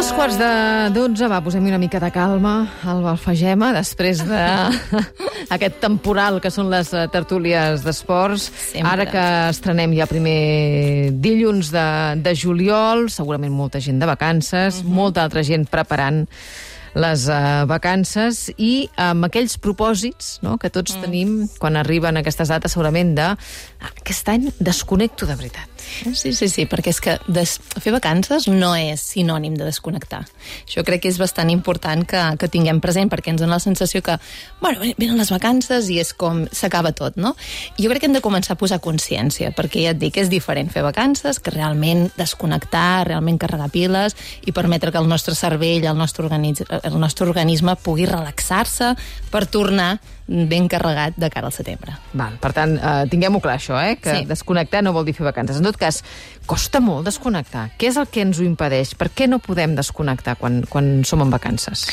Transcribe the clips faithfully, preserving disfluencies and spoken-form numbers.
dos quarts de dotze, va, posem una mica de calma al Alfagema, després d'aquest temporal que són les tertúlies d'esports. Sempre. Ara que estrenem ja primer dilluns de, de juliol, segurament molta gent de vacances, uh-huh. molta altra gent preparant les uh, vacances i amb aquells propòsits, no?, que tots mm. tenim quan arriben aquestes dates, segurament de aquest any desconnecto de veritat. Sí, sí, sí, perquè és que des... fer vacances no és sinònim de desconnectar. Això crec que és bastant important que, que tinguem present, perquè ens dona la sensació que, bueno, venen les vacances i és com s'acaba tot, no? I jo crec que hem de començar a posar consciència, perquè ja et dic, és diferent fer vacances que realment desconnectar, realment carregar piles i permetre que el nostre cervell, el nostre, organitz... el nostre organisme pugui relaxar-se per tornar ben carregat de cara al setembre. Val, per tant, eh, tinguem-ho clar, això, eh? Que sí. Desconnectar no vol dir fer vacances. En tot cas, costa molt desconnectar. Què és el que ens ho impedeix? Per què no podem desconnectar quan, quan som en vacances?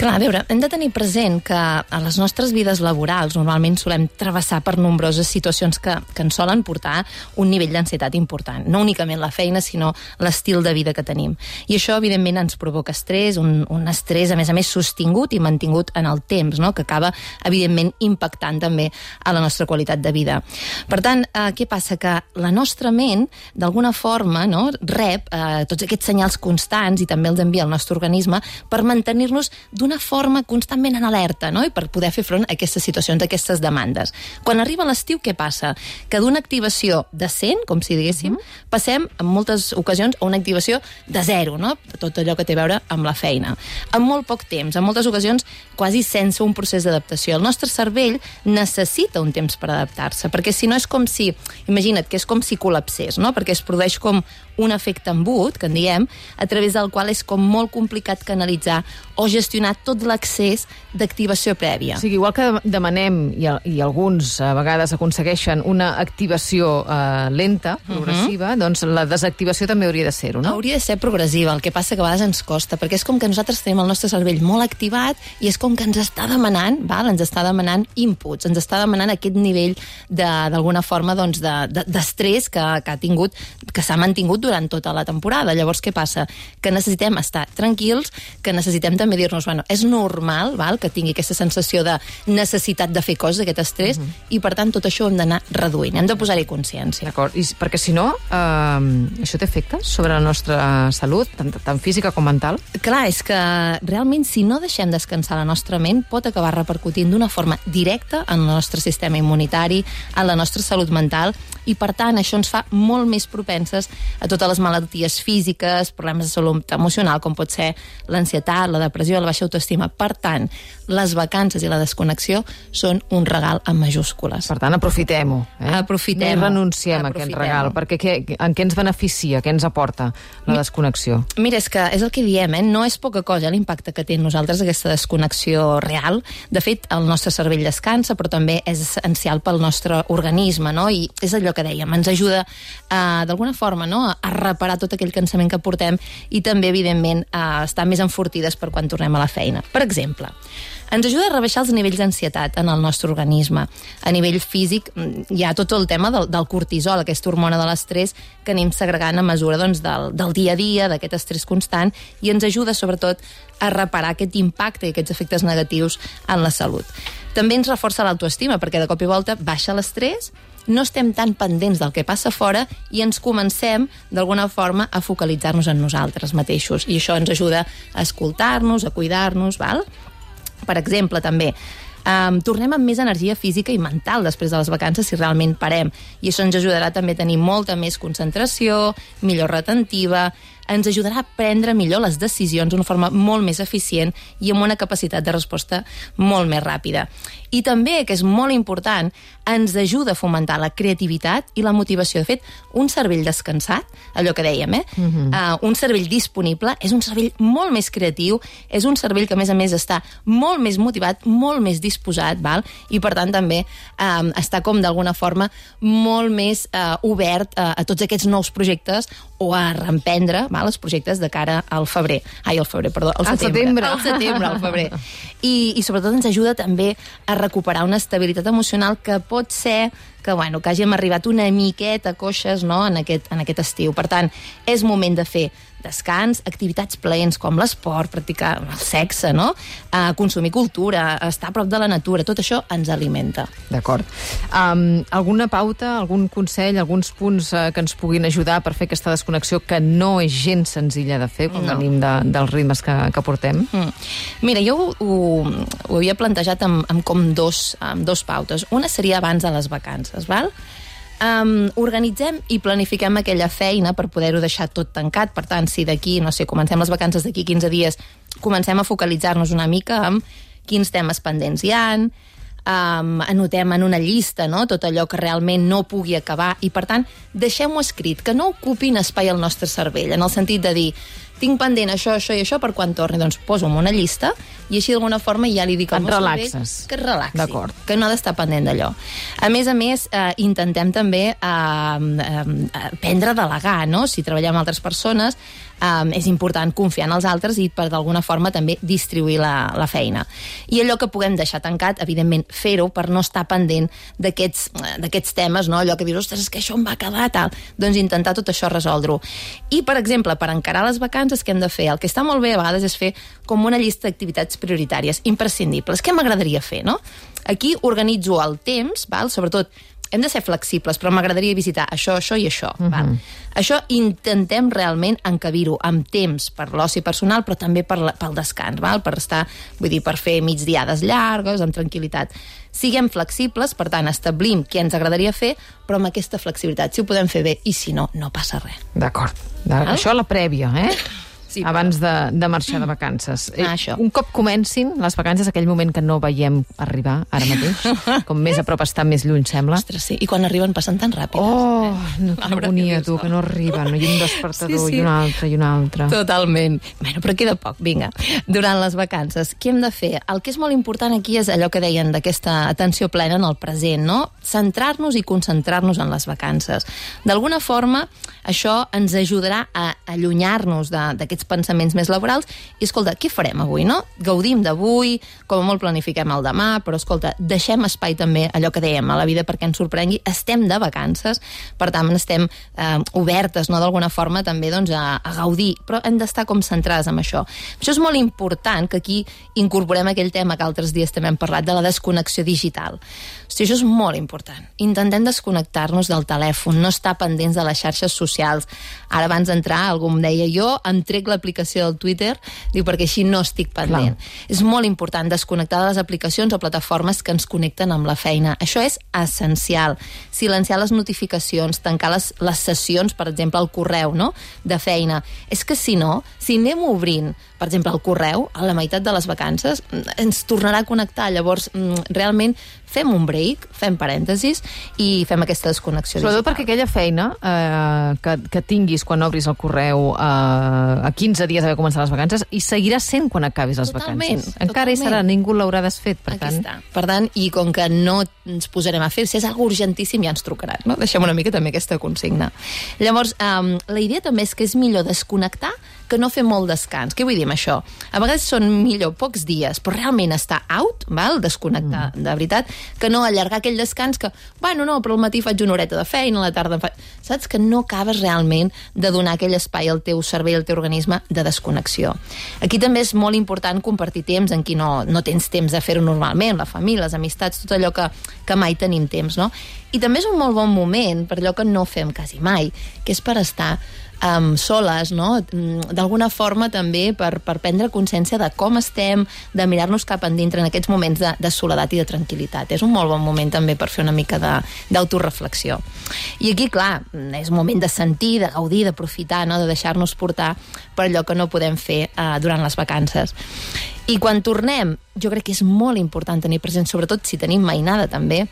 Clar, a veure, hem de tenir present que a les nostres vides laborals normalment solem travessar per nombroses situacions que, que ens solen portar un nivell d'ansietat important. No únicament la feina, sinó l'estil de vida que tenim. I això, evidentment, ens provoca estrès, un, un estrès, a més a més, sostingut i mantingut en el temps, no?, que acaba, evidentment, impactant també a la nostra qualitat de vida. Per tant, eh, què passa? Que la nostra ment, d'alguna forma, no?, rep eh, tots aquests senyals constants i també els envia al nostre organisme per mantenir-nos d'una una forma constantment en alerta, no?, i per poder fer front a aquestes situacions, a aquestes demandes. Quan arriba l'estiu, què passa? Que d'una activació de cent, com si diguéssim, mm. passem en moltes ocasions a una activació de zero, no?, de tot allò que té a veure amb la feina. En molt poc temps, en moltes ocasions quasi sense un procés d'adaptació. El nostre cervell necessita un temps per adaptar-se, perquè si no és com si, imagina't que és com si col·lapsés, no?, perquè es produeix com un efecte embut, que en diem, a través del qual és com molt complicat canalitzar o gestionar tot l'accés d'activació prèvia. O sigui, igual que demanem, i, i alguns a vegades aconsegueixen una activació eh, lenta, progressiva, uh-huh. doncs la desactivació també hauria de ser-ho, no? Hauria de ser progressiva, el que passa que a vegades ens costa, perquè és com que nosaltres tenim el nostre cervell molt activat i és com que ens està demanant, val? ens està demanant inputs, ens està demanant aquest nivell d'alguna forma doncs, de, de, d'estrès que, que ha tingut, que s'ha mantingut durant tota la temporada. Llavors, què passa? Que necessitem estar tranquils, que necessitem també dir-nos, bueno, és normal, val, que tingui aquesta sensació de necessitat de fer coses, aquest estrès, uh-huh. i per tant tot això ho hem d'anar reduint, hem de posar-hi consciència. D'acord, i perquè si no, eh, això té efectes sobre la nostra salut, tant, tant física com mental? Clar, és que realment si no deixem descansar la nostra ment pot acabar repercutint d'una forma directa en el nostre sistema immunitari, en la nostra salut mental, i per tant això ens fa molt més propenses a totes les malalties físiques, problemes de salut emocional, com pot ser l'ansietat, la depressió, la baixa autoestima. Per tant, les vacances i la desconnexió són un regal en majúscules. Per tant, aprofitem-ho. Eh? Aprofitem-ho. No renunciem a aquest regal, perquè què, en què ens beneficia, què ens aporta la desconnexió? Mira, és que és el que diem, eh? No és poca cosa l'impacte que té en nosaltres aquesta desconnexió real. De fet, el nostre cervell descansa, però també és essencial pel nostre organisme, no? I és allò que dèiem, ens ajuda eh, d'alguna forma, no?, a reparar tot aquell cansament que portem i també, evidentment, a estar més enfortides per quan tornem a la feina. Per exemple, ens ajuda a rebaixar els nivells d'ansietat en el nostre organisme. A nivell físic hi ha tot el tema del, del cortisol, aquesta hormona de l'estrès que anem segregant a mesura doncs, del, del dia a dia, d'aquest estrès constant, i ens ajuda sobretot a reparar aquest impacte i aquests efectes negatius en la salut. També ens reforça l'autoestima, perquè de cop i volta baixa l'estrès, no estem tan pendents del que passa fora i ens comencem, d'alguna forma, a focalitzar-nos en nosaltres mateixos. I això ens ajuda a escoltar-nos, a cuidar-nos, val? Per exemple, també, Um, tornem amb més energia física i mental després de les vacances si realment parem, i això ens ajudarà també a tenir molta més concentració, millor retentiva, ens ajudarà a prendre millor les decisions d'una forma molt més eficient i amb una capacitat de resposta molt més ràpida. I també, que és molt important, ens ajuda a fomentar la creativitat i la motivació. De fet, un cervell descansat, allò que dèiem, eh? Uh-huh. uh, un cervell disponible és un cervell molt més creatiu, és un cervell que, a més a més, està molt més motivat, molt més disposat, val? I per tant també um, està com d'alguna forma molt més uh, obert uh, a tots aquests nous projectes o a reemprendre, val, els projectes de cara al febrer. Ai, al febrer, perdó, al setembre. Al setembre, al febrer. I, I sobretot ens ajuda també a recuperar una estabilitat emocional que pot ser que, bueno, que hàgim arribat una miqueta coixes, no?, en aquest, en aquest estiu. Per tant, és moment de fer descans, activitats plaents com l'esport, practicar el sexe, no?, uh, consumir cultura, estar a prop de la natura, tot això ens alimenta. D'acord. Um, alguna pauta, algun consell, alguns punts uh, que ens puguin ajudar per fer aquesta desconnexió que no és gens senzilla de fer quan no. venim de, dels ritmes que, que portem? Mm. Mira, jo ho, ho, ho havia plantejat amb, amb com dos, amb dos pautes. Una seria abans de les vacances, val? Um, organitzem i planifiquem aquella feina per poder-ho deixar tot tancat. Per tant, si d'aquí, no sé, comencem les vacances d'aquí quinze dies, comencem a focalitzar-nos una mica amb quins temes pendents hi ha, um, anotem en una llista, no?, tot allò que realment no pugui acabar i, per tant, deixem-ho escrit, que no ocupin espai al nostre cervell, en el sentit de dir tinc pendent això, això i això per quan torni, doncs poso en una llista i així d'alguna forma ja li dic al meu cervell que es relaxi, que no ha d'estar pendent d'allò. A més a més, eh, intentem també eh, eh, aprendre a delegar, no? Si treballem amb altres persones, eh, és important confiar en els altres i per d'alguna forma també distribuir la, la feina. I allò que puguem deixar tancat, evidentment fer-ho per no estar pendent d'aquests temes, no? Allò que dius, ostres, és que això em va quedar, tal. Doncs intentar tot això resoldre-ho. I, per exemple, per encarar les vacances, què hem de fer? El que està molt bé a vegades és fer com una llista d'activitats prioritàries, imprescindibles. Què m'agradaria fer, no? Aquí organitzo el temps, val? Sobretot, hem de ser flexibles, però m'agradaria visitar això, això i això. Uh-huh. Val? Això intentem realment encabir-ho amb temps per l'oci personal, però també per la, pel descans, val? Per estar, vull dir, per fer migdiades llargues, amb tranquil·litat. Siguem flexibles, per tant, establim què ens agradaria fer, però amb aquesta flexibilitat. Si ho podem fer bé, i si no, no passa res. D'acord. Això la prèvia, eh? Sí, abans de, de marxar de vacances. Ah, això. Un cop comencin les vacances, aquell moment que no veiem arribar ara mateix, com més a prop està, més lluny sembla. Ostres, sí. I quan arriben passen tan ràpid. Oh, no, que agonia, tu, que no arriben. I un despertador, sí, sí. i un altre, i un altre. Totalment. Bueno, però queda poc, vinga. Durant les vacances, què hem de fer? El que és molt important aquí és allò que deien d'aquesta atenció plena en el present, no? Centrar-nos i concentrar-nos en les vacances. D'alguna forma, això ens ajudarà a allunyar-nos d'aquests pensaments més laborals i, escolta, què farem avui, no? Gaudim d'avui, com a molt planifiquem el demà, però, escolta, deixem espai també, allò que dèiem, a la vida perquè ens sorprengui, estem de vacances, per tant, estem eh, obertes, no?, d'alguna forma, també, doncs, a, a gaudir, però hem d'estar com centrades en això. Això és molt important, que aquí incorporem aquell tema que altres dies també hem parlat, de la desconnexió digital. Hosti, això és molt important. Intentem desconnectar-nos del telèfon, no estar pendents de les xarxes socials. Ara, abans d'entrar, algú em deia, jo em trec l'aplicació del Twitter, diu, perquè així no estic pendent. Clar. És molt important desconnectar de les aplicacions o plataformes que ens connecten amb la feina. Això és essencial. Silenciar les notificacions, tancar les, les sessions, per exemple, el correu, no?, de feina. És que si no, si anem obrint, per exemple, el correu, a la meitat de les vacances, ens tornarà a connectar. Llavors, realment, fem un break, fem parèntesis i fem aquesta desconnexió digital. Sobretot perquè aquella feina eh, que, que tinguis quan obris el correu eh, a quinze dies d'haver començat les vacances i seguirà sent quan acabis les totalment, vacances. Encara totalment. Hi serà, ningú l'haurà desfet, per Aquí tant. Està. Per tant, i com que no ens posarem a fer, si és algo urgentíssim ja ens trucaran, no? Deixem una mica també aquesta consigna. Llavors, um, la idea també és que és millor desconnectar que no fer molt descans. Què vull dir amb això? A vegades són millor pocs dies, però realment estar out, val? Desconnectar, mm. de veritat, que no allargar aquell descans que, bueno, no, però al matí faig una horeta de feina, a la tarda fa... Saps? Que no acabes realment de donar aquell espai al teu cervell, al teu organisme, de desconnexió. Aquí també és molt important compartir temps en qui no, no tens temps de fer-ho normalment, la família, les amistats, tot allò que, que mai tenim temps, no? I també és un molt bon moment per allò que no fem quasi mai, que és per estar Um, soles, no? D'alguna forma també per, per prendre consciència de com estem, de mirar-nos cap endintre en aquests moments de, de soledat i de tranquil·litat. És un molt bon moment també per fer una mica d'autoreflexió. I aquí, clar, és un moment de sentir, de gaudir, d'aprofitar, no? De deixar-nos portar per allò que no podem fer uh, durant les vacances. I quan tornem, jo crec que és molt important tenir present, sobretot si tenim mainada també,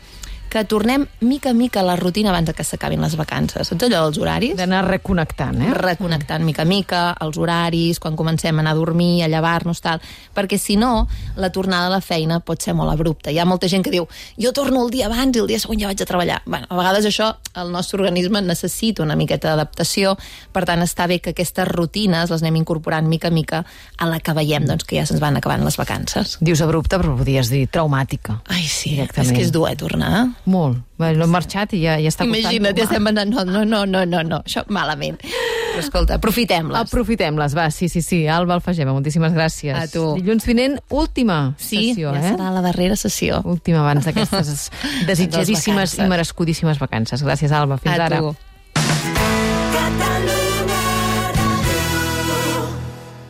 que tornem mica a mica a la rutina abans que s'acabin les vacances. Saps allò dels horaris? D'anar reconnectant, eh? Reconnectant mica a mica, els horaris, quan comencem a anar a dormir, a llevar-nos, tal. Perquè si no, la tornada a la feina pot ser molt abrupta. Hi ha molta gent que diu, jo torno el dia abans i el dia següent ja vaig a treballar. Bueno, a vegades això, el nostre organisme necessita una miqueta d'adaptació, per tant està bé que aquestes rutines les anem incorporant mica a mica a la que veiem doncs, que ja se'ns van acabant les vacances. Dius abrupta, però podries dir traumàtica. Ai, sí, és que és dur, eh, tornar. molt. Bé, no hem marxat i ja, ja està costant. Imagina't, ja estem anant, no, no, no, no, no, no, això malament. Però escolta, aprofitem-les. Aprofitem-les, va, sí, sí, sí. Alba Alfagema, moltíssimes gràcies. A tu. Dilluns vinent, última sí, sessió, ja eh? serà la darrera sessió. Última abans d'aquestes desitjadíssimes i merescudíssimes vacances. Gràcies, Alba. Fins a ara. Tu.